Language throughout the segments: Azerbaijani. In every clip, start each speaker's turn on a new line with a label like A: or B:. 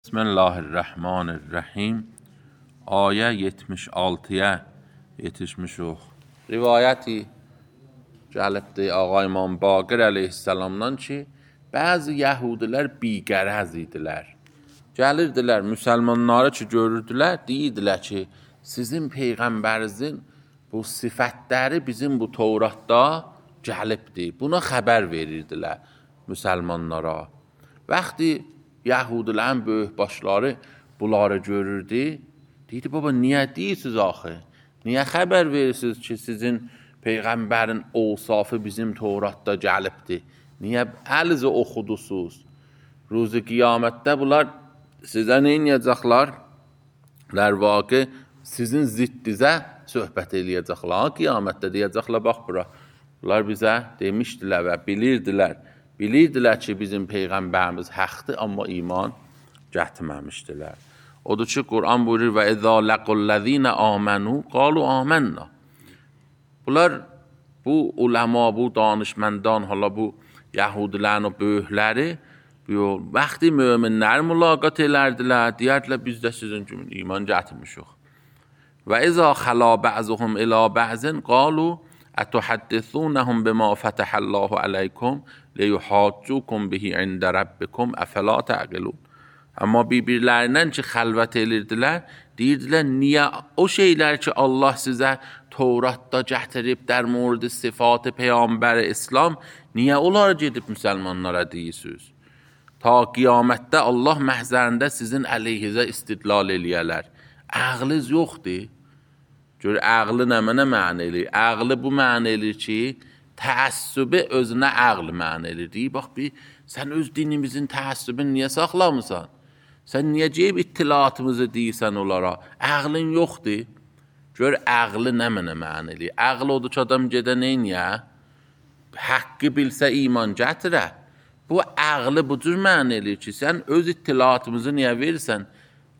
A: Bismillahirrahmanirrahim. Ayə 76-yə yetişmişik. Rivayəti gəlibdir Ağa İmam Baqir əleyhissalamdan ki, bəzi yəhudilər biqərəz idilər. Gəlirdilər müsəlmanları ki, görürdülər, deyirdilər ki, sizin peyğəmbərinizin bu sifətləri bizim bu Tevratda gəlibdir. Buna xəbər verirdilər müsəlmanlara. Vaxtı Yahudilərin böyük başları bunları görürdü. Deyirdi, baba, niyə deyirsiniz axı? Niyə xəbər verirsiniz ki, sizin Peyğəmbərin ovsafı bizim Tevratda gəlibdir? Niyə əlinizə oxudusuz? Ruzi qiyamətdə bunlar sizə nə edəcəklər? Lərvaqı sizin ziddizə söhbət eləyəcəklər. Qiyamətdə deyəcəklər, bax bura. Bunlar bizə demişdilər və bilirdilər. Bilirdilər ki, bizim Peyğəmbərimiz həqdir, amma iman gətirməmişdilər. Odur ki, Quran buyurur və اِذَا لَقُوا الَّذ۪ينَ آمَنُوا قَالُوا آمَنَّا. Bunlar, bu uləma, bu danışməndan, hala bu Yahudilərin o böyükləri, vaxtı möminləri mülaqat elərdilər, deyərdilər, biz də sizin kimi iman gətirmişik. Və اِذَا خَلَا بَعْزُهُمْ إِلَى بَعْزٍ قَالُوا أَتُحَدِّثُونَهُمْ بِمَا فَتَحَ اللّٰهُ عَلَيْكُمْ لِيُحَاجُّوكُمْ بِهِ عِنْدَ رَبِّكُمْ أَفَلَا تَعْقِلُونَ. Amma bir-birlərindən ki, xəlvət edirdilər, deyirdilər, niyə o şeylər ki, Allah sizə Tevratda gətirib, dər murd sıfatı Peyğəmbər İslam, niyə onları gedib müsəlmanlara deyirsiniz? Ta qiyamətdə Allah məhzərində sizin əleyhizə istidlal eləyərlər. Ağlınız yoxdur. Gör, ağlı nə mənə eləyir? Ağlı bu mənə eləyir ki, təəssübü özünə ağlı mənə eləyir. Deyir, bax, sən öz dinimizin təəssübünü niyə saxlamısan? Sən niyə ceyb ittilatımızı deyirsən onlara? Ağlın yoxdur. Gör, ağlı nə mənə eləyir? Ağlı odur ki, adam gedə neyniyə? Haqqı bilsə iman gətirə. Bu ağlı bu cür mənə eləyir ki, sən öz ittilatımızı niyə verirsən?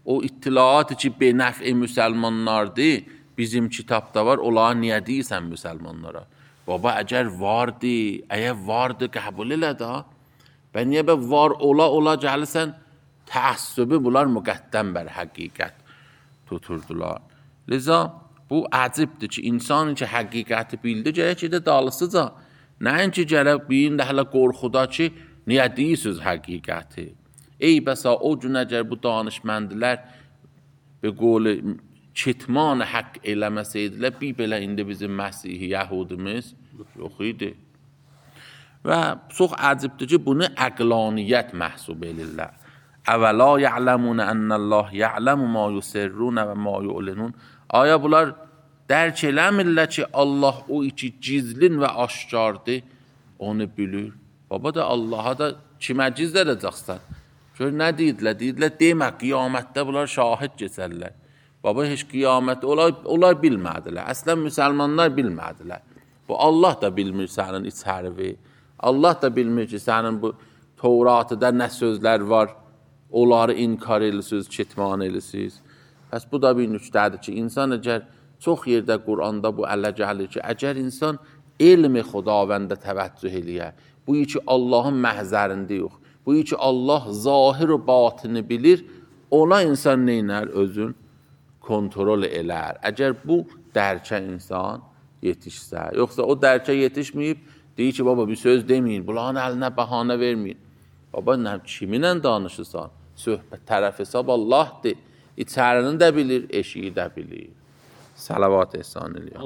A: O ittilatı ki, benəf-i müsəlmanlardır, bizim kitabda var, onlara niyə deyirsən müsəlmanlara? Baba, əgər vardı, qəbul elə da. Və niyə bə var ola gəlirsən, təəssübü bunlar müqəddəm bər həqiqət tuturdular. Liza, bu əcibdir ki, insanın ki, həqiqəti bildi, gərək ki, də dalısıca. Nəyin ki, gərək biyin də hələ qorxuda ki, niyə deyirsiniz həqiqəti? Ey bəsa, o gün əgər bu danışməndilər bir qolu kitman haqq eləməsəydilər, bir belə indi bizim Məsihi Yəhudimiz yox idi. Və çox əcibdir ki, bunu əqlaniyyət məhsub edirlər. Əvəla ya'ləmunə ənəlləh ya'ləmu ma yusirrunə və ma yu'linun. Aya bunlar dərk eləmirlər ki, Allah o iki gizlin və aşkardır, onu bilir. Baba da Allaha da kimə gizl edəcəksən? Gör, nə deyirlər? Deyirlər, demə, qiyamətdə bunlar şahid keçərlər. Baba, heç qiyamət, onlar bilmədilər. Əslən, müsəlmanlar bilmədilər. Bu, Allah da bilmir sənin içərivi. Allah da bilmir ki, sənin bu Tevratda nə sözlər var, onları inkar edirsiniz, kitman edirsiniz. Bəs bu da bir nüqtədir ki, insan əgər çox yerdə Quranda bu ələ gəlir ki, əgər insan elmi xudavəndə təvəccüh eləyə, bu ki, Allahın məhzərində yox, bu ki, Allah zahir və batını bilir, ona insan neynər özün? Kontrol elər. Əgər bu dərkə insan yetişsə, yoxsa o dərkə yetişməyib, deyir ki, baba, bir söz deməyin, bunların əlinə bəhanə verməyin. Baba, kiminlə danışırsan? Söhbət tərəf hesab Allahdır. İçərini də bilir, eşiyi də bilir. Salavat ehsan eləyəm.